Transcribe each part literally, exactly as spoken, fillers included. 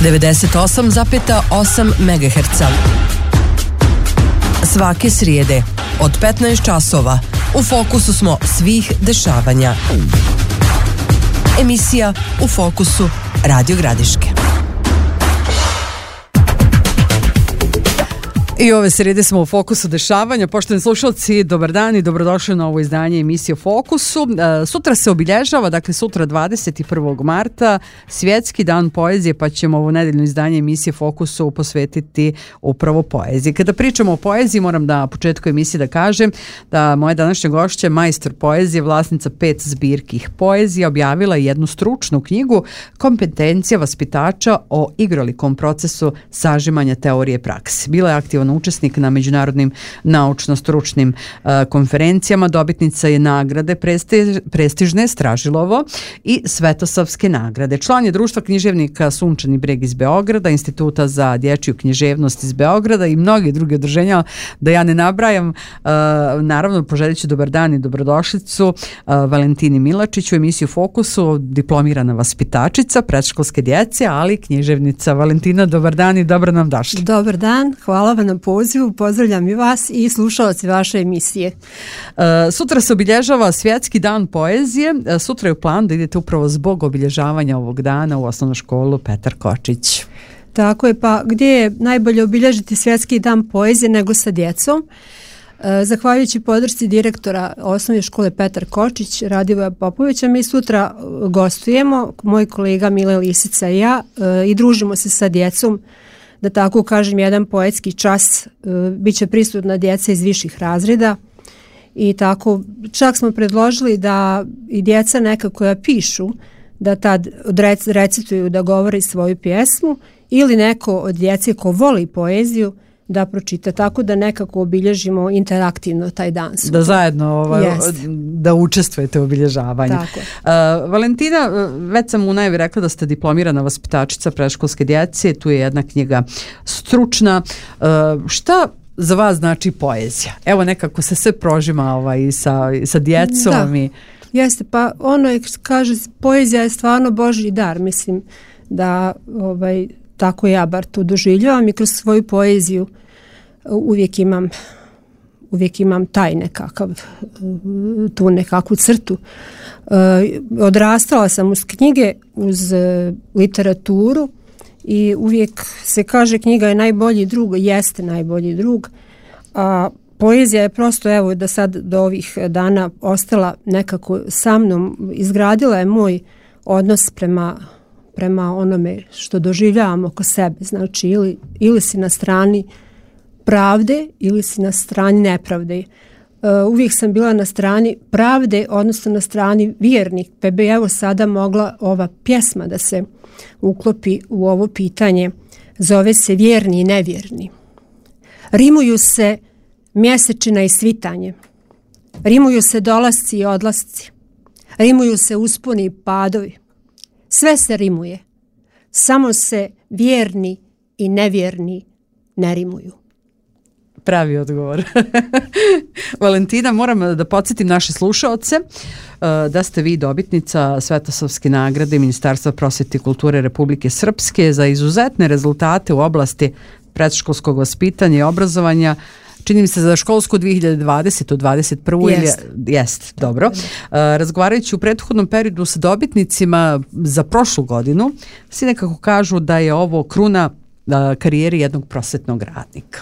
devedeset osam zarez osam megaherca. Svake srijede od petnaest časova u fokusu smo svih dešavanja. Emisija U fokusu Radio Gradiške. I ove srijede smo u fokusu dešavanja. Poštovani slušalci, dobar dan i dobrodošli na ovo izdanje emisije o Fokusu. E, sutra se obilježava, dakle sutra dvadeset prvog marta, Svjetski dan poezije, pa ćemo ovo nedeljno izdanje emisije Fokusu posvetiti upravo poeziji. Kada pričamo o poeziji, moram da na početku emisije da kažem da moja današnja gošća, majstor poezije, vlasnica pet zbirki poezije, objavila jednu stručnu knjigu Kompetencija vaspitača o igrolikom procesu sažimanja teorije prakse. Bila je aktivna učesnik na međunarodnim naučno-stručnim uh, konferencijama, dobitnica je nagrade prestiž, prestižne Stražilovo i Svetosavske nagrade. Član je društva književnika Sunčani breg iz Beograda, Instituta za dječju književnost iz Beograda i mnogi drugi udruženja, da ja ne nabrajam. Uh, naravno, poželit ću dobar dan i dobrodošlicu uh, Valentini Milačić u emisiju Fokusu, diplomirana vaspitačica predškolske djece, ali književnica. Valentina, dobar dan i dobro nam došli. Dobar dan, hvala vam na pozivu, pozdravljam i vas i slušalci vaše emisije. Uh, sutra se obilježava Svjetski dan poezije. Uh, sutra je u planu da idete upravo zbog obilježavanja ovog dana u osnovnu školu Petar Kočić. Tako je, pa gdje je najbolje obilježiti Svjetski dan poezije nego sa djecom? Uh, zahvaljujući podršci direktora osnovne škole Petar Kočić, Radivoja Popovića, mi sutra gostujemo, moj kolega Mile Lisica i ja, uh, i družimo se sa djecom, da tako kažem, jedan poetski čas. Uh, biće prisutna djeca iz viših razreda i tako čak smo predložili da i djeca neka koja pišu da tad recituju, da govori svoju pjesmu, ili neko od djece ko voli poeziju da pročita, tako da nekako obilježimo interaktivno taj dan. Da zajedno ovaj, da učestvujete u obilježavanju. Tako. Uh, Valentina, već sam u najavi rekla da ste diplomirana vaspitačica predškolske djece, tu je jedna knjiga stručna. Uh, šta za vas znači poezija? Evo, nekako se sve prožima ovaj, sa, sa djecom. Da. I... Jeste, pa ono je, kaže, poezija je stvarno Božji dar, mislim da ovaj, tako ja bar to doživljavam i kroz svoju poeziju uvijek imam uvijek imam taj nekakav tu nekakvu crtu. Odrastala sam uz knjige, uz literaturu i uvijek se kaže knjiga je najbolji drug, jeste najbolji drug, a poezija je prosto, evo, da sad do ovih dana ostala nekako sa mnom, izgradila je moj odnos prema prema onome što doživljavamo oko sebe. Znači, ili, ili si na strani pravde ili si na strani nepravde. Uh, uvijek sam bila na strani pravde, odnosno na strani vjernik, pa bi evo sada mogla ova pjesma da se uklopi u ovo pitanje. Zove se Vjerni i nevjerni. Rimuju se mjesečina i svitanje. Rimuju se dolasci i odlasci. Rimuju se usponi i padovi. Sve se rimuje, samo se vjerni i nevjerni ne rimuju. Pravi odgovor. Valentina, moram da podsjetim naše slušaoce da ste vi dobitnica Svetosavske nagrade Ministarstva prosvjete i kulture Republike Srpske za izuzetne rezultate u oblasti predškolskog vaspitanja i obrazovanja. Čini mi se za školsku dvije hiljade dvadesete dvadeset prvu Jest. Ili jest, dobro. Uh, razgovarajući u prethodnom periodu sa dobitnicima za prošlu godinu, svi nekako kažu da je ovo kruna uh, karijeri jednog prosvetnog radnika.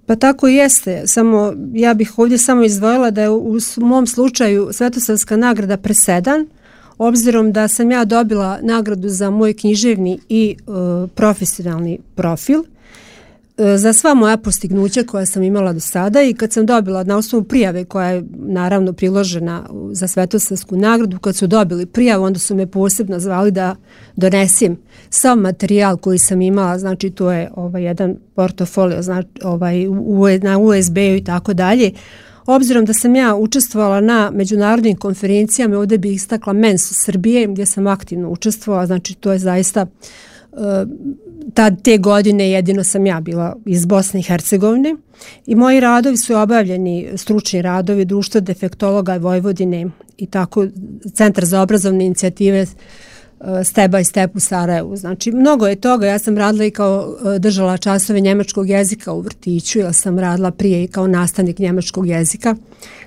Pa tako i jeste, samo ja bih ovdje samo izdvojila da je u mom slučaju Svetosavska nagrada presedan, obzirom da sam ja dobila nagradu za moj književni i uh, profesionalni profil, za sva moja postignuća koja sam imala do sada, i kad sam dobila na osnovu prijave koja je naravno priložena za Svetosavsku nagradu, kad su dobili prijavu, onda su me posebno zvali da donesem sav materijal koji sam imala, znači to je ovaj jedan portofolio, znači ovaj u, na U S B-u i tako dalje. Obzirom da sam ja učestvovala na međunarodnim konferencijama, ovdje bih istakla Mensu Srbije, gdje sam aktivno učestvovala, znači to je zaista uh, tad te godine jedino sam ja bila iz Bosne i Hercegovine i moji radovi su obavljeni, stručni radovi Društva defektologa Vojvodine i tako Centar za obrazovne inicijative step by step u Sarajevu. Znači, mnogo je toga. Ja sam radila i kao držala časove njemačkog jezika u vrtiću, jer sam radila prije i kao nastavnik njemačkog jezika.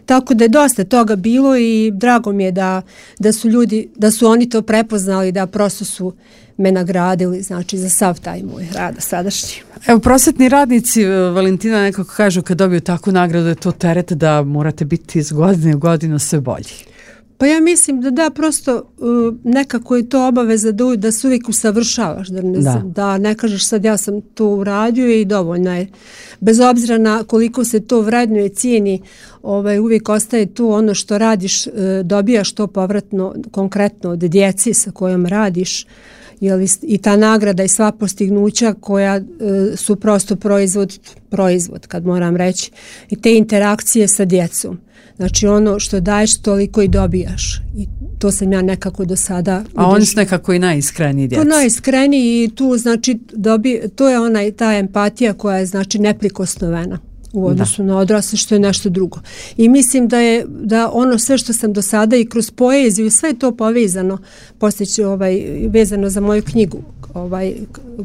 Tako da je dosta toga bilo i drago mi je da, da su ljudi, da su oni to prepoznali, da prosto su me nagradili, znači, za sav taj moj rad sadašnji. Evo, prosvetni radnici, Valentina, nekako kažu kad dobiju takvu nagradu je to teret da morate biti iz godine u godinu sve bolji. Pa ja mislim da da, prosto uh, nekako je to obaveza da, da se uvijek usavršavaš, da ne, da. da ne kažeš sad ja sam to uradio i dovoljno je. Bez obzira na koliko se to vrednuje, cijeni, ovaj, uvijek ostaje tu ono što radiš, uh, dobijaš to povratno, konkretno od djeci sa kojom radiš, jeli, i ta nagrada i sva postignuća koja uh, su prosto proizvod, proizvod kad moram reći, i te interakcije sa djecom. Znači ono što daješ toliko i dobijaš i to sam ja nekako do sada. A oni su nekako i najiskreniji djeci. To najiskreniji i tu znači dobi, to je ona ta empatija koja je znači neprikosnovena u odnosu da. na odrasle, što je nešto drugo. I mislim da je da ono sve što sam do sada i kroz poeziju, sve je to povezano, poslije ću ovaj, vezano za moju knjigu, ovaj,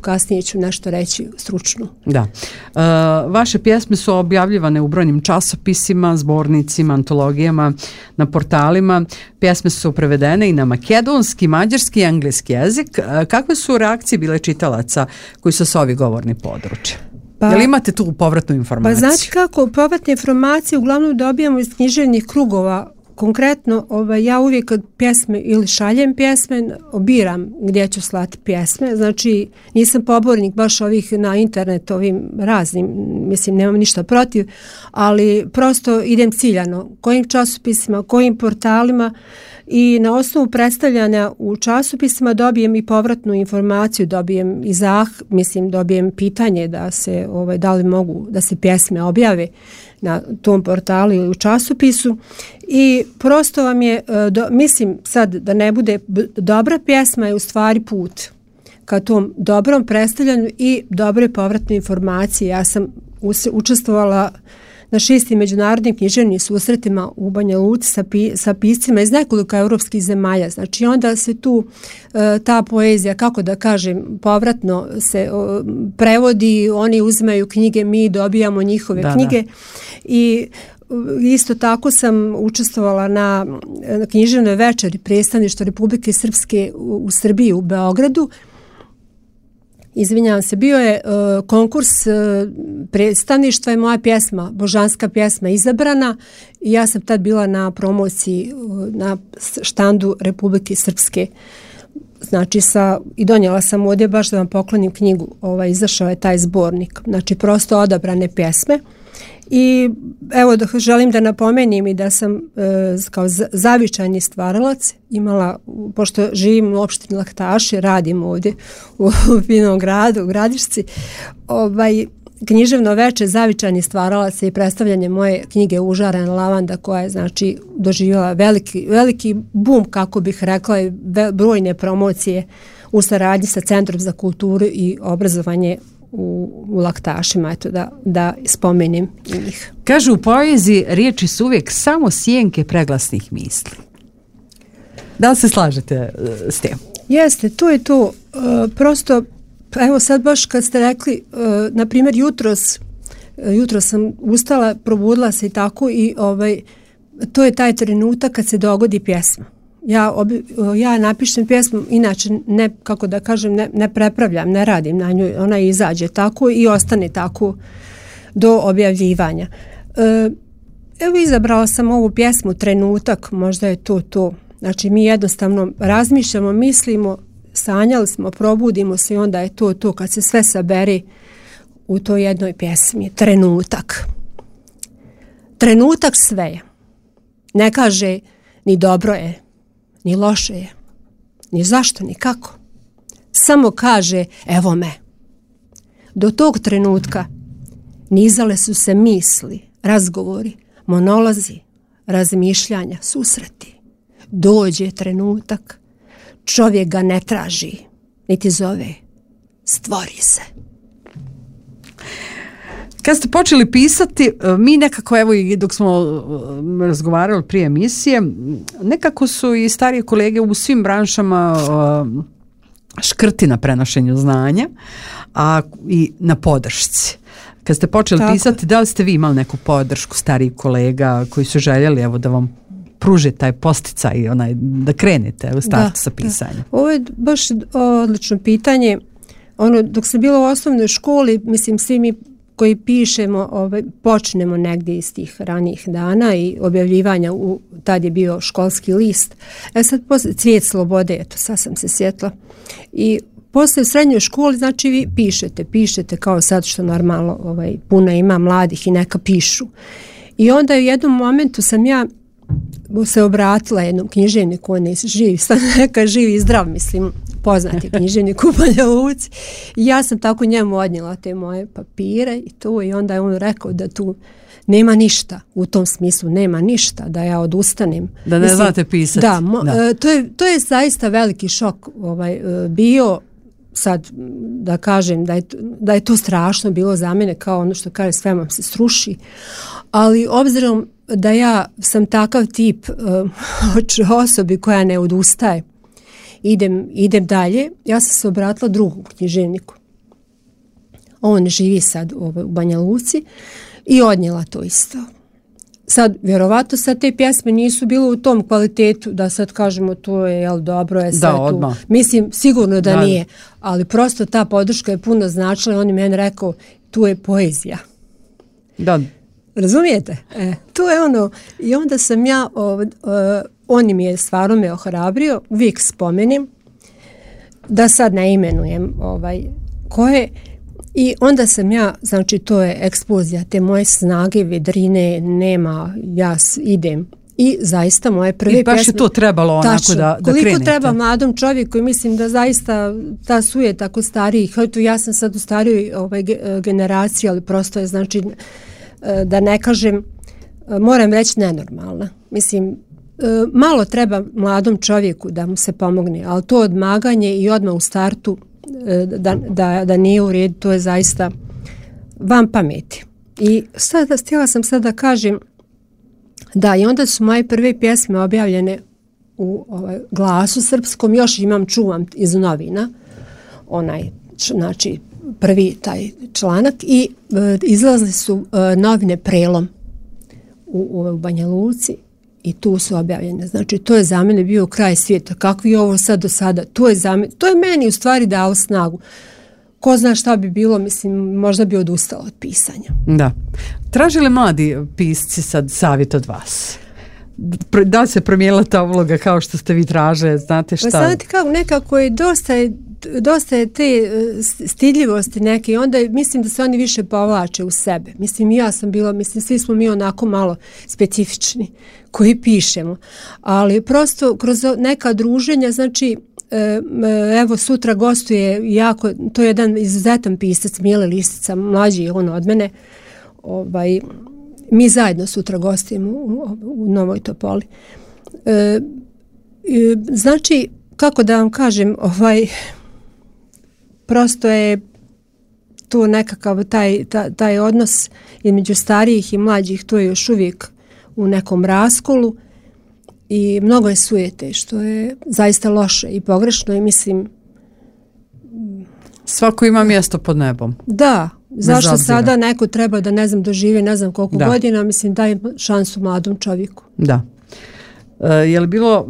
kasnije ću nešto reći stručno. Da. E, vaše pjesme su objavljivane u brojnim časopisima, zbornicima, antologijama, na portalima. Pjesme su prevedene i na makedonski, mađarski i engleski jezik. E, kakve su reakcije bile čitalaca koji su sa ovih govornih područja? Pa, jel imate tu povratnu informaciju? Pa znači kako, povratne informacije uglavnom dobijamo iz književnih krugova. Konkretno, ovaj, ja uvijek kad pjesme ili šaljem pjesme, obiram gdje ću slati pjesme. Znači, nisam pobornik baš ovih na internet, ovim raznim, mislim, nemam ništa protiv, ali prosto idem ciljano. Kojim časopisima, kojim portalima i na osnovu predstavljanja u časopisima dobijem i povratnu informaciju, dobijem i zah, mislim, dobijem pitanje da se, ovaj, da li mogu da se pjesme objave na tom portalu ili u časopisu i prosto vam je, do, mislim sad da ne bude dobra pjesma je u stvari put ka tom dobrom predstavljanju i dobre povratne informacije. Ja sam učestvovala na šestim međunarodnim književnim susretima u Banja Luci sa, pi, sa piscima iz nekoliko europskih zemalja. Znači onda se tu e, ta poezija, kako da kažem, povratno se o, prevodi, oni uzimaju knjige, mi dobijamo njihove da, knjige da. I isto tako sam učestvovala na, na književnoj večeri predstavništva Republike Srpske u, u Srbiji u Beogradu. Izvinjavam se, bio je uh, konkurs uh, predstavništva i moja pjesma, božanska pjesma izabrana i ja sam tad bila na promociji uh, na štandu Republike Srpske. Znači sa, i donijela sam ovdje baš da vam poklonim knjigu, ovaj, izašao je taj zbornik, znači prosto odabrane pjesme. I evo da želim da napomenim i da sam e, kao zavičajni stvaralac imala, pošto živim u opštini Laktaši, radim ovdje u, u finom gradu, u Gradišci, ovaj, književno veče zavičajni stvaralac i predstavljanje moje knjige Užarena lavanda koja je znači doživjela veliki, veliki bum, kako bih rekla, i brojne promocije u saradnji sa Centrom za kulturu i obrazovanje u, u Laktašima, eto da, da spomenem njih. Kažu u poeziji riječi su uvijek samo sjenke preglasnih misli. Da li se slažete uh, s tim? Jeste, to je to. Uh, prosto, evo sad baš kad ste rekli, uh, na primjer jutros, uh, jutros sam ustala, probudila se i tako i ovaj, to je taj trenutak kad se dogodi pjesma. Ja, obi, ja napišem pjesmu, inače ne, kako da kažem, ne, ne prepravljam, ne radim na nju, ona izađe tako i ostane tako do objavljivanja. E, evo izabrala sam ovu pjesmu Trenutak, možda je to to. Znači mi jednostavno razmišljamo, mislimo, sanjali smo, probudimo se i onda je to to kad se sve sabere u toj jednoj pjesmi. Trenutak. Trenutak sve je. Ne kaže ni dobro je, ni loše je, ni zašto, ni kako. Samo kaže, evo me. Do tog trenutka nizale su se misli, razgovori, monolozi, razmišljanja, susreti. Dođe trenutak, čovjek ga ne traži, niti zove, stvori se. Kad ste počeli pisati, mi nekako, evo i dok smo razgovarali prije emisije, nekako su i starije kolege u svim branšama škrti na prenošenju znanja, a i na podršci. Kad ste počeli Tako. pisati, da li ste vi imali neku podršku starijih kolega koji su željeli evo da vam pruže taj posticaj, onaj, da krenete u startu sa pisanjem? Da. Ovo je baš odlično pitanje. Ono, dok sam bila u osnovnoj školi, mislim, svi mi koji pišemo, ovaj, počnemo negdje iz tih ranijih dana i objavljivanja, u, tad je bio školski list. E sad, posle, Cvijet slobode, eto, sad sam se sjetila. I posle u srednjoj školi, znači vi pišete, pišete kao sad što normalno ovaj, puno ima mladih i neka pišu. I onda u jednom momentu sam ja se obratila jednom književniku, on je živ, neka živ i zdrav, mislim, poznati književnik u Banja Luci. I ja sam tako njemu odnijela te moje papire i to, i onda je on rekao da tu nema ništa, u tom smislu nema ništa, da ja odustanem. Da ne mislim, znate pisati. Da, mo, da. To, je, to je zaista veliki šok ovaj, bio, sad da kažem da je, da je to strašno bilo za mene, kao ono što kaže sve vam se sruši, ali obzirom da ja sam takav tip uh, osobi koja ne odustaje, idem, idem dalje, ja sam se obratila drugom književniku. On živi sad u Banja Luci i odnijela to isto. Sad, vjerovatno sad te pjesme nisu bile u tom kvalitetu da sad kažemo to je, jel, dobro je sve da, tu. Mislim, sigurno da, da nije, ali prosto ta podrška je puno značila i on je meni rekao, tu je poezija. Da. Razumijete? E, to je ono, i onda sam ja, o, o, on mi je stvarno me ohrabrio, uvijek spomenim, da sad ne imenujem ovaj, koje, i onda sam ja, znači to je eksplozija, te moje snage, vedrine, nema, ja idem. I zaista moje prve pjesme... I baš pjesme, je to trebalo onako tačno, da, da koliko krenete. Treba mladom čovjeku i mislim da zaista ta suje tako stariji, ja sam sad u starijoj ovaj, generaciji, ali prosto je znači... da ne kažem, moram reći nenormalna. Mislim, malo treba mladom čovjeku da mu se pomogne, ali to odmaganje i odmah u startu da, da, da nije u redu, to je zaista van pameti. I sada, htjela sam sad da kažem da i onda su moje prve pjesme objavljene u ovaj, Glasu srpskom, još imam, čuvam iz novina, onaj, znači, prvi taj članak i e, izlazili su e, novine Prelom u, u Banja Luci i tu su objavljene. Znači, to je za mene bio kraj svijeta. Kako je ovo sad do sada? To je, za mene, to je meni u stvari dalo snagu. Ko zna šta bi bilo, mislim, možda bi odustala od pisanja. Da. Tražili mladi pisci sad savjet od vas? Da li se promijenila ta uloga kao što ste vi tražili, znate šta? Pa znate kako, nekako je dosta, dosta je te stidljivosti neke i onda mislim da se oni više povlače u sebe. Mislim, ja sam bila, mislim, svi smo mi onako malo specifični koji pišemo, ali prosto kroz neka druženja, znači, evo sutra gostuje jako, to je jedan izuzetan pisac, Mile Listica, mlađi on od mene, ovaj, mi zajedno sutra gostujemo u, u Novoj Topoli. E, znači, kako da vam kažem, ovaj, prosto je tu nekakav taj, taj, taj odnos između starijih i mlađih, to je još uvijek u nekom raskolu i mnogo je sujete, što je zaista loše i pogrešno i mislim... Svako ima mjesto pod nebom. Da, zašto sada neko treba da ne znam dožive ne znam koliko da. godina, mislim daj šansu mladom čovjeku. Da. E, je li bilo,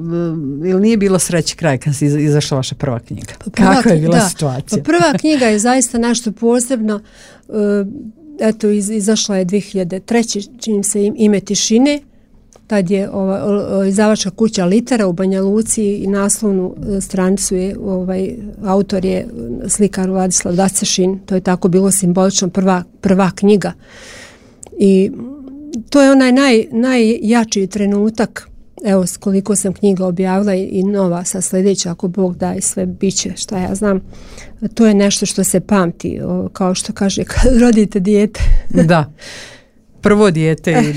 je li nije bilo sreći kraj kad si izašla vaša prva knjiga? Pa prva, Kako je bila da. situacija? Pa prva knjiga je zaista nešto posebno. E, eto, iz, izašla je dvije hiljade treće čini se Ime tišine. Tad je ova, izdavačka kuća Litera u Banja Luci i naslovnu stranicu je ovaj, autor je slikar Vladislav Dacešin. To je tako bilo simbolično prva, prva knjiga. I to je onaj naj, najjači trenutak. Evo koliko sam knjiga objavila i, i nova sa sljedeća, ako Bog da i sve biće, šta ja znam. To je nešto što se pamti, o, kao što kaže kad rodite dijete. Da. Prvo dijete.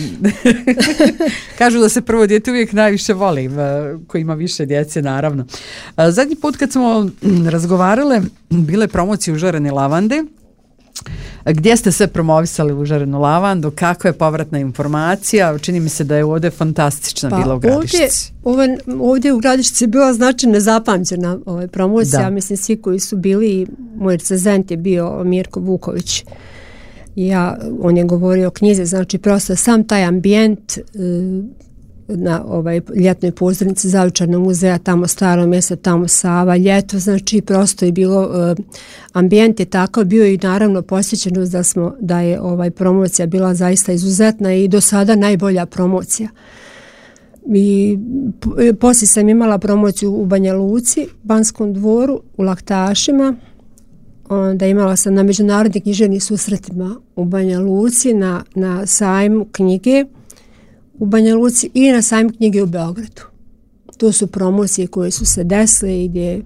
Kažu da se prvo dijete uvijek najviše voli, ko ima više djece, naravno. Zadnji put kad smo razgovarale, bile promocije u Žarene lavande, Gdje ste sve promovisali užarenu lavandu, kako je povratna informacija? Čini mi se da je ovdje fantastična pa, bila u Gradišci. Ovdje, ovdje u Gradišci je bila znači nezapamćena ovaj, promocija, da. Mislim svi koji su bili, moj recenzent je bio Mirko Vuković. Ja, on je govorio o knjizi, znači prosto sam taj ambijent na ovaj ljetnoj pozornici Zavičajnog muzeja, tamo Staro mjesto, tamo Sava, ljeto, znači prosto je bilo uh, ambijent je takav bio i naravno posjećenost da smo da je ovaj promocija bila zaista izuzetna i do sada najbolja promocija. I poslije sam imala promociju u Banja Luci, Banskom dvoru, u Laktašima, onda imala sam na međunarodnim književnim susretima u Banja Luci, na, na sajmu knjige u Banja Luci i na sajmu knjige u Beogradu. To su promocije koje su se desile i gdje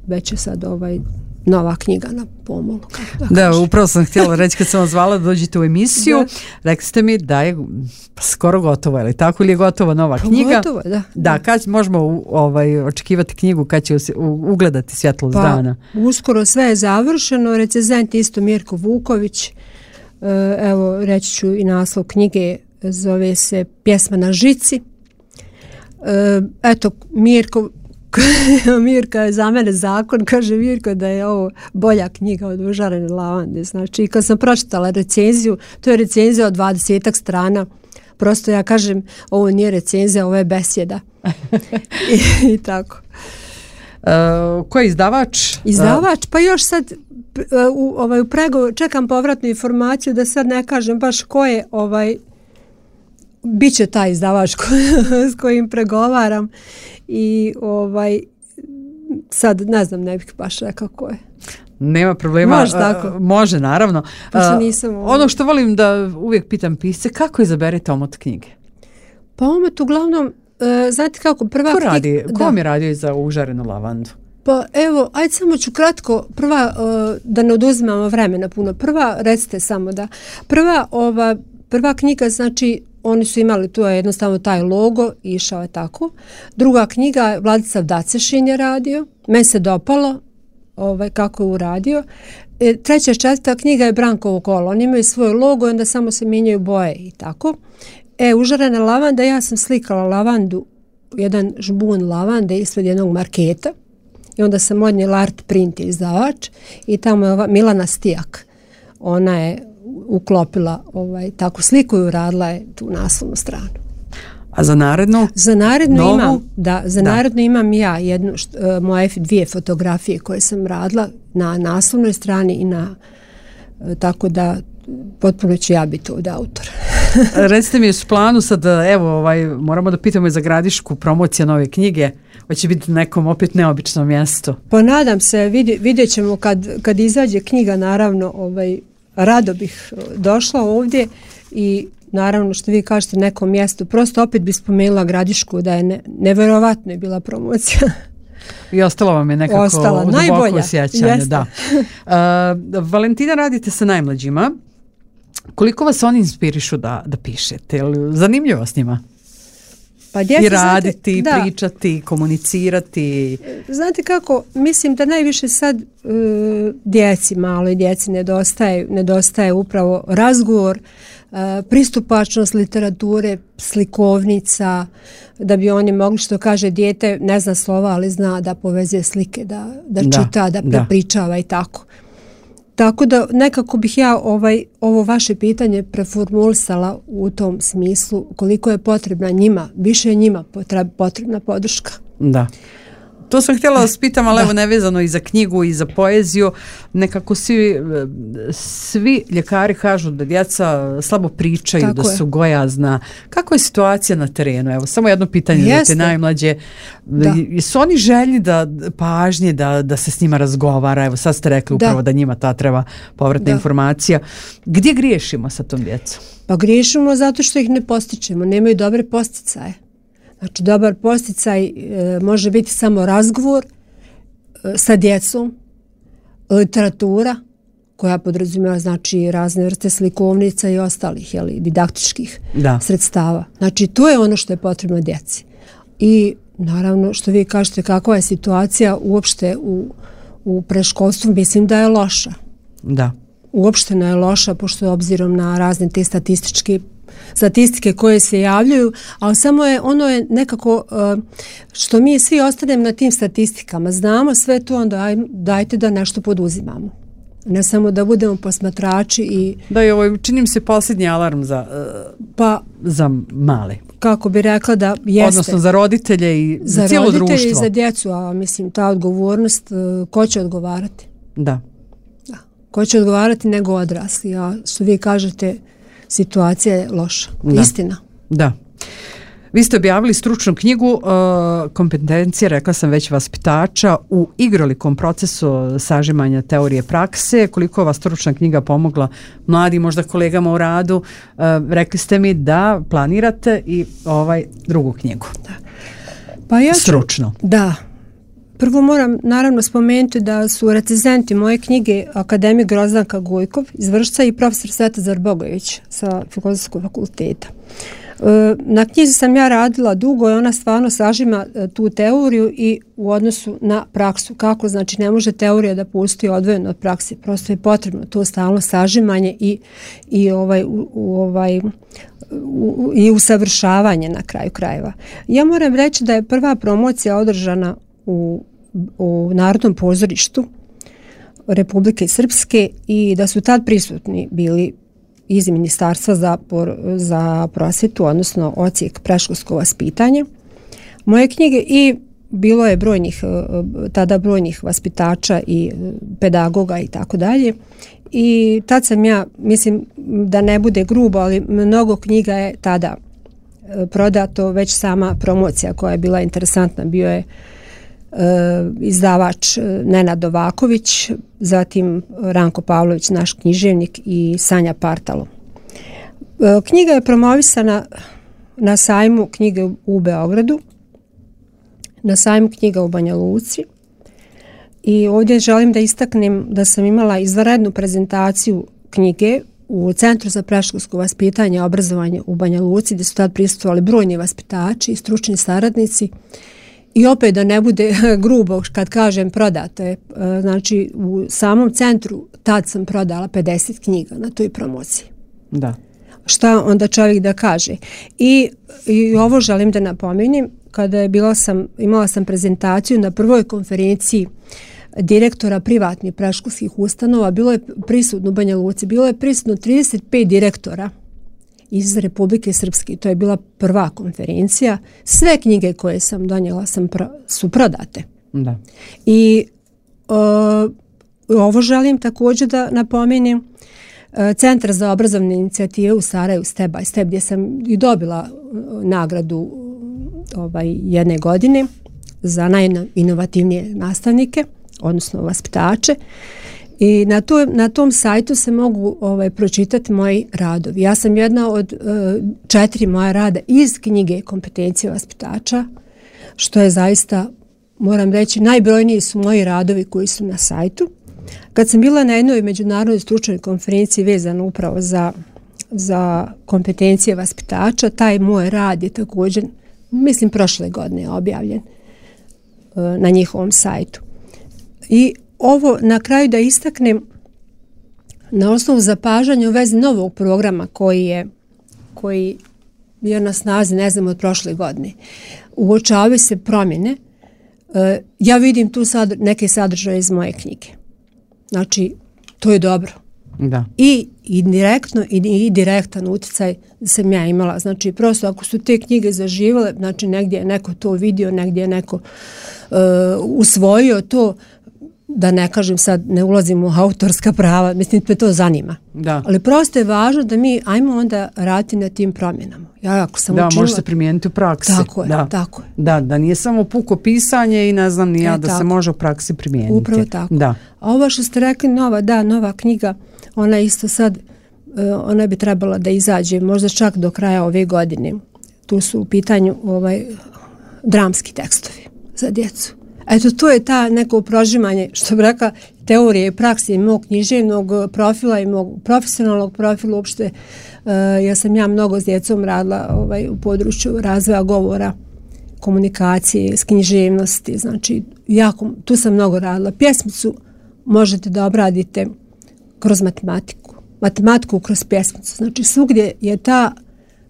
već je sad ovaj nova knjiga na pomolu. Da, da upravo sam htjela reći kad sam vas zvala da dođete u emisiju, da. Rekli ste mi da je skoro gotovo, je li tako, ili je gotova nova knjiga? Gotovo, da. Da, kad možemo ovaj, očekivati knjigu, kad će ugledati svjetlost pa, dana? Uskoro sve je završeno, recenzent isto Mirko Vuković, evo reći ću i naslov knjige, zove se Pjesma na žici. Eto, Mirko Mirka je za mene zakon, kaže Mirko da je ovo bolja knjiga od Užarene lavande. Znači, kad sam pročitala recenziju, to je recenzija od dvadesetak strana, prosto ja kažem, ovo nije recenzija, ovo je besjeda. I, i tako. Uh, ko je izdavač? Izdavač, pa još sad u, ovaj, u pregovoru čekam povratnu informaciju da sad ne kažem baš ko je ovaj biće taj izdavač ko, s kojim pregovaram i ovaj sad ne znam, ne bih baš rekao ko je. Nema problema. Može tako. Uh, može, naravno. Pa nisam uh, ono što volim da uvijek pitam pisce, kako izaberete omot knjige? Pa omot uglavnom, uh, znate kako, prva ko radi, knjiga... Ko vam je radio za Užarenu lavandu? Pa evo, ajde samo ću kratko, prva, uh, da ne oduzimamo vremena puno, prva, recite samo da, prva, ova, prva knjiga, znači, oni su imali, tu je jednostavno taj logo, išao je tako. Druga knjiga, Vladislav Dacešin je radio, meni se dopalo ovaj, kako je uradio. E, treća, četvrta knjiga je Brankovo kolo, oni imaju svoj logo i onda samo se mijenjaju boje i tako. E, Užarena lavanda, ja sam slikala lavandu, jedan žbun lavande ispred jednog marketa i onda sam odnijela Art Print izdavač i tamo je ova Milana Stijak, ona je uklopila ovaj, takvu sliku i uradila je tu naslovnu stranu. A za narednu? Za narednu novu? imam, da, za da. narednu imam ja jednu, št, uh, moje dvije fotografije koje sam radila na naslovnoj strani i na, uh, tako da potpuno ću ja biti ovdje autor. Recite mi, u planu sad, evo, ovaj, moramo da pitamo i za Gradišku promocija nove knjige, hoće biti nekom opet neobičnom mjestu. Pa nadam se, vidje, vidjet ćemo kad, kad izađe knjiga, naravno, ovaj, rado bih došla ovdje i naravno što vi kažete nekom mjestu, prosto opet bih spomenula Gradišku da je ne, neverovatno je bila promocija. I ostalo vam je nekako Ostala, duboko sjećanje. Da. Uh, Valentina, radite sa najmlađima. Koliko vas oni inspirišu da, da pišete? Zanimljivo s njima? Pa djeca, i raditi, znate, pričati, komunicirati. Znate kako, mislim da najviše sad uh, djeci, malo i djeci nedostaje, nedostaje upravo razgovor, uh, pristupačnost literature, slikovnica, da bi oni mogli, što kaže dijete, ne zna slova, ali zna da povezuje slike, da, da, da čita, da prepričava i tako. Tako da nekako bih ja ovaj, ovo vaše pitanje preformulisala u tom smislu koliko je potrebna njima, više je njima potrebna podrška. Da. To sam htjela da vas pitam, ali da. Evo nevezano i za knjigu i za poeziju, nekako svi, svi ljekari kažu da djeca slabo pričaju, tako da su je. Gojazna. Kako je situacija na terenu? Evo, samo jedno pitanje za te najmlađe. Da. Su oni željni da pažnje, da, da se s njima razgovara? Evo, sad ste rekli upravo da, da njima ta treba povratna da. informacija. Gdje griješimo sa tom djecom? Pa griješimo zato što ih ne postičemo, nemaju dobre posticaje. Znači, dobar posticaj e, može biti samo razgovor e, sa djecom, literatura koja podrazumijeva znači razne vrste slikovnica i ostalih jeli, didaktičkih da. sredstava. Znači, to je ono što je potrebno djeci. I naravno, što vi kažete, kakva je situacija uopšte u, u preškolstvu, mislim da je loša. Da. uopšteno je loša, pošto obzirom na razne te statističke statistike koje se javljaju, ali samo je ono je nekako što mi svi ostanemo na tim statistikama, znamo sve to, onda dajte da nešto poduzimamo. Ne samo da budemo posmatrači i... Da, i ovo činim se posljednji alarm za, pa, za male. Kako bi rekla da jeste. Odnosno za roditelje i za, za cijelo društvo. Za roditelje i za djecu, a mislim ta odgovornost, ko će odgovarati? Da. Da. Ko će odgovarati nego odrasli, a što vi kažete, situacija je loša. Da. Istina. Da. Vi ste objavili stručnu knjigu uh, kompetencije, rekla sam već, vaspitača u igrolikom procesu sažimanja teorije prakse. Koliko vas stručna knjiga pomogla mladim, možda kolegama u radu? Uh, rekli ste mi da planirate i ovaj drugu knjigu. Da. Pa ja ću, stručno. Da. Prvo moram naravno spomenuti da su recenzenti moje knjige akademik Grozdanka Gojkov iz Vršca i profesor Svetozar Bogojević sa Filozofskog fakulteta. Na knjizi sam ja radila dugo i ona stvarno sažima tu teoriju i u odnosu na praksu. Kako, znači ne može teorija da postoji odvojeno od prakse, prosto je potrebno to stalno sažimanje i, i, ovaj, u, ovaj, u, i usavršavanje na kraju krajeva. Ja moram reći da je prva promocija održana u, u Narodnom pozorištu Republike Srpske i da su tad prisutni bili iz Ministarstva za, za prosvjetu, odnosno odsjek predškolsko vaspitanje. Moje knjige i bilo je brojnih, tada brojnih vaspitača i pedagoga i tako dalje. I tad sam ja, mislim da ne bude grubo, ali mnogo knjiga je tada prodato, već sama promocija koja je bila interesantna, bio je izdavač Nenad Novaković, zatim Ranko Pavlović, naš književnik, i Sanja Partalo. Knjiga je promovisana na sajmu knjige u Beogradu, na sajmu knjiga u Banja Luci i ovdje želim da istaknem da sam imala izvanrednu prezentaciju knjige u Centru za predškolsko vaspitanje i obrazovanje u Banja Luci, gdje su tad prisustvovali brojni vaspitači i stručni saradnici. I opet da ne bude grubo kad kažem prodato je, znači u samom centru tad sam prodala pedeset knjiga na toj promociji. Da. Šta onda čovjek da kaže? I, i ovo želim da napomenem, kada je bila sam, imala sam prezentaciju na prvoj konferenciji direktora privatnih predškolskih ustanova, bilo je prisutno u Banja Luci, bilo je prisutno trideset pet direktora iz Republike Srpske. To je bila prva konferencija. Sve knjige koje sam donijela sam pro, su prodate. Da. I o, ovo želim također da napomenem. Centar za obrazovne inicijative u Sarajevu, Step by Step, gdje sam i dobila nagradu ovaj, jedne godine za najinovativnije nastavnike, odnosno vaspitače. I na, to, na tom sajtu se mogu ovaj, pročitati moji radovi. Ja sam jedna od uh, četiri moja rada iz knjige Kompetencije vaspitača, što je zaista, moram reći, najbrojniji su moji radovi koji su na sajtu. Kad sam bila na jednoj međunarodnoj stručnoj konferenciji vezano upravo za, za kompetencije vaspitača, taj moj rad je također, mislim, prošle godine objavljen uh, na njihovom sajtu. I ovo na kraju da istaknem na osnovu zapažanja u vezi novog programa koji je, koji je na snazi, ne znam, od prošle godine. Uočavaju se promjene. E, ja vidim tu sad neke sadržaje iz moje knjige. Znači, to je dobro. Da. I, i direktno i, i direktan utjecaj sam ja imala. Znači, prosto ako su te knjige zaživale, znači negdje je neko to vidio, negdje je neko uh, usvojio to, da ne kažem sad, ne ulazim u autorska prava, mislim da to zanima. Da. Ali prosto je važno da mi ajmo onda raditi na tim promjenama. Ja ako sam da, učila, može se primijeniti u praksi. Tako je, da. tako je. Da, da nije samo puko pisanje i ne znam ni ja e, da tako. Se može u praksi primijeniti. Upravo tako. Da. A ovo što ste rekli, nova, da, nova knjiga, ona isto sad, ona bi trebala da izađe možda čak do kraja ove godine. Tu su u pitanju ovaj, dramski tekstovi za djecu. Eto, to je ta neko prožimanje, što bi rekla, teorije i praksi mog književnog profila i mog profesionalnog profila uopšte. Uh, ja sam ja mnogo s djecom radila ovaj, u području razvoja govora, komunikacije, s književnosti, znači jako, tu sam mnogo radila. Pjesmicu možete da obradite kroz matematiku. Matematiku kroz pjesmicu. Znači svugdje je ta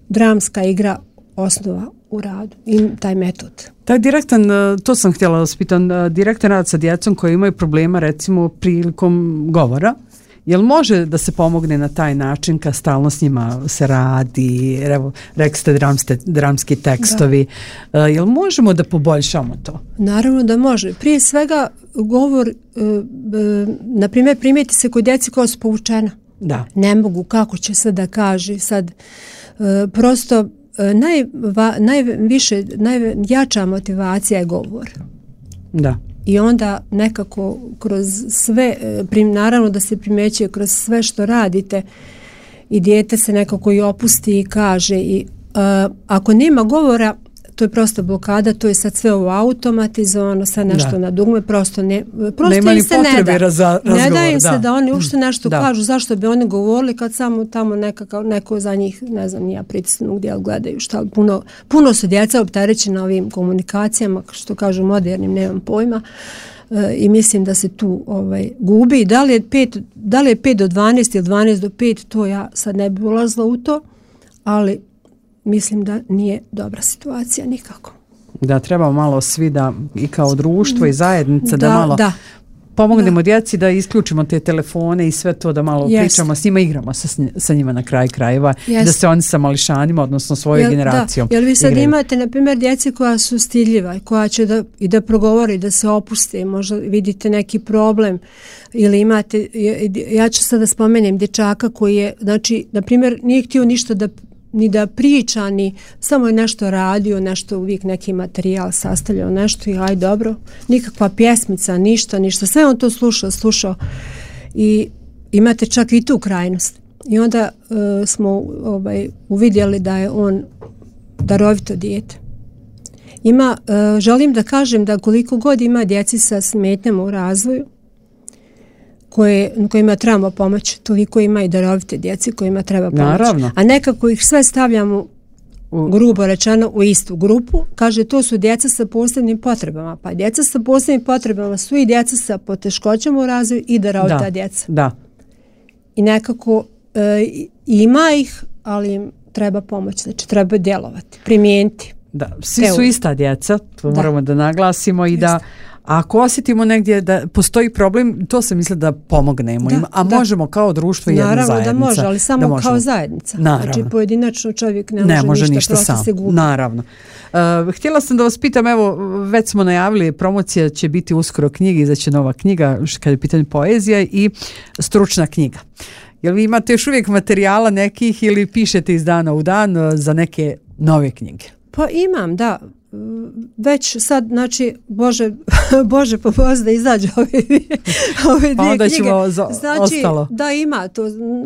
dramska igra osnova u radu i taj metod. Taj direktan, to sam htjela da vas pitam, direktan rad sa djecom koji imaju problema recimo prilikom govora, jel može da se pomogne na taj način kad stalno s njima se radi, evo, rekli ste dramste, dramski tekstovi, da. Jel možemo da poboljšamo to? Naravno da može. Prije svega govor, na primjer, primijeti se kod djeci koja su povučena. Da. Ne mogu, kako će se da kaže sad, prosto naj, najviše, najjača motivacija je govor. Da. I onda nekako kroz sve, naravno da se primećuje kroz sve što radite i dijete se nekako i opusti i kaže i uh, ako nema govora, to je prosto blokada, to je sad sve ovo automatizovano, sad nešto da. Na dugme, prosto ne, prosto nema im se ne da. Raza, razgovor, ne da im da. se da oni ušte nešto da. Kažu, zašto bi oni govorili kad samo tamo nekakav, neko za njih, ne znam, nija pritisnu gdje gledaju šta, puno, puno su djeca opterećena ovim komunikacijama, što kažu modernim, nemam pojma. I mislim da se tu ovaj, gubi. Da li je pet, da li je pet do dvanaest ili dvanaest do pet, to ja sad ne bi ulazila u to, ali mislim da nije dobra situacija nikako. Da treba malo svi da i kao društvo i zajednica da, da malo da. pomognemo da. djeci da isključimo te telefone i sve to, da malo Jest. pričamo s njima, igramo sa, sa njima na kraj krajeva, Jest. da se oni sa mališanima, odnosno svojoj Jel, generacijom da. Jel vi sad igraju. imate, na primjer, djeci koja su stidljiva i koja će da, i da progovori, da se opuste, možda vidite neki problem ili imate, ja ću sad da spomenem dječaka koji je, znači, na primjer, nije htio ništa da ni da priča, ni samo je nešto radio, nešto uvijek neki materijal sastavljao, nešto i aj dobro, nikakva pjesmica, ništa, ništa, sve on to slušao, slušao i imate čak i tu krajnost. I onda uh, smo ovaj, uvidjeli da je on darovito dijete. Ima, uh, želim da kažem da koliko god ima djeci sa smetnjama u razvoju, koje, kojima trebamo pomoći, toliko ima i darovite djeci kojima treba pomoći. Naravno. A nekako ih sve stavljamo, u, grubo rečeno, u istu grupu. Kaže, to su djeca sa posebnim potrebama. Pa djeca sa posebnim potrebama su i djeca sa poteškoćama u razvoju i darovita da, djeca. Da. I nekako e, ima ih, ali im treba pomoći. Znači, treba djelovati, primijeniti. Da, svi Evo. su ista djeca, to da. moramo da naglasimo i Jeste. da ako osjetimo negdje da postoji problem, to se misli da pomognemo da, im, a da. možemo kao društvo i jedna Naravno zajednica. Naravno da može, ali samo kao zajednica. Naravno. Znači pojedinačno čovjek ne, ne može, može ništa, ništa sam. Se gubi. Naravno. Uh, htjela sam da vas pitam, evo, već smo najavili, promocija će biti uskoro knjige, izaće nova knjiga, kada je pitanje poezija i stručna knjiga. Jel vi imate još uvijek materijala nekih ili pišete iz dana u dan za neke nove knjige? Pa imam, da. Već sad, znači, Bože, Bože pomozi da izađe ove, ove dvije pa onda knjige. Za, znači, ostalo. Da ima to,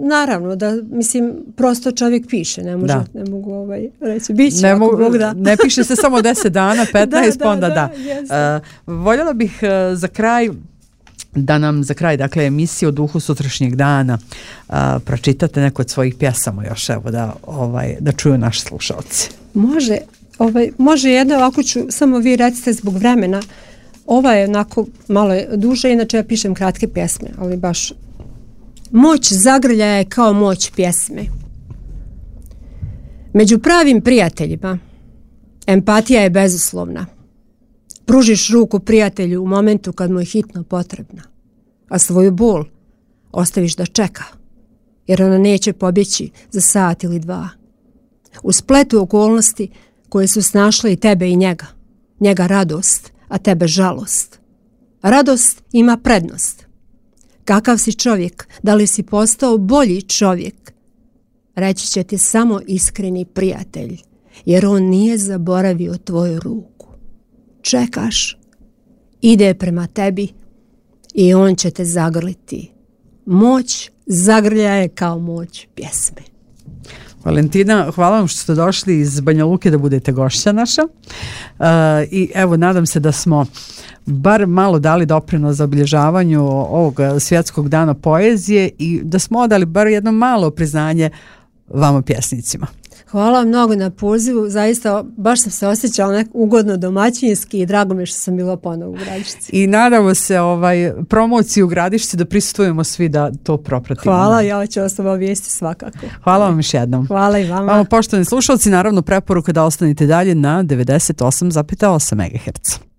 naravno, da, mislim, prosto čovjek piše, ne, može, ne mogu ovaj, reći, bit će, ne, ako mogu, Bog da. Ne piše se samo deset dana, petnaest, da, da, onda da. da. Uh, voljela bih uh, za kraj da nam za kraj, dakle, emisije o duhu sutrašnjeg dana uh, pročitate neko od svojih pjesama još, evo, da, ovaj, da čuju naši slušalci. Može, ovaj, može jedno, ovako ću, samo vi recite zbog vremena, ova je onako malo duže, inače ja pišem kratke pjesme, ali baš moć zagrljaja je kao moć pjesme. Među pravim prijateljima empatija je bezuslovna. Pružiš ruku prijatelju u momentu kad mu je hitno potrebna, a svoju bol ostaviš da čeka, jer ona neće pobjeći za sat ili dva. U spletu okolnosti koje su snašle i tebe i njega, njega radost, a tebe žalost. Radost ima prednost. Kakav si čovjek, da li si postao bolji čovjek, reći će ti samo iskreni prijatelj, jer on nije zaboravio tvoju ruku. Čekaš, ide prema tebi i on će te zagrliti. Moć zagrljaja je kao moć pjesme. Valentina, hvala vam što ste došli iz Banja Luke da budete gošća naša. Uh, I evo, nadam se da smo bar malo dali doprinos za obilježavanju ovog svjetskog dana poezije i da smo odali bar jedno malo priznanje vama pjesnicima. Hvala mnogo na pozivu, zaista baš sam se osjećala nek ugodno domaćinski i drago mi je što sam bila ponovo u Gradišci. I nadamo se ovaj, promociji u Gradišci da prisustujemo svi da to propratimo. Hvala, ja ću vas obavijesti svakako. Hvala vam još jednom. Hvala i vama. Vama, poštovani slušalci, naravno preporuka da ostanete dalje na devedeset osam zarez osam megaherca.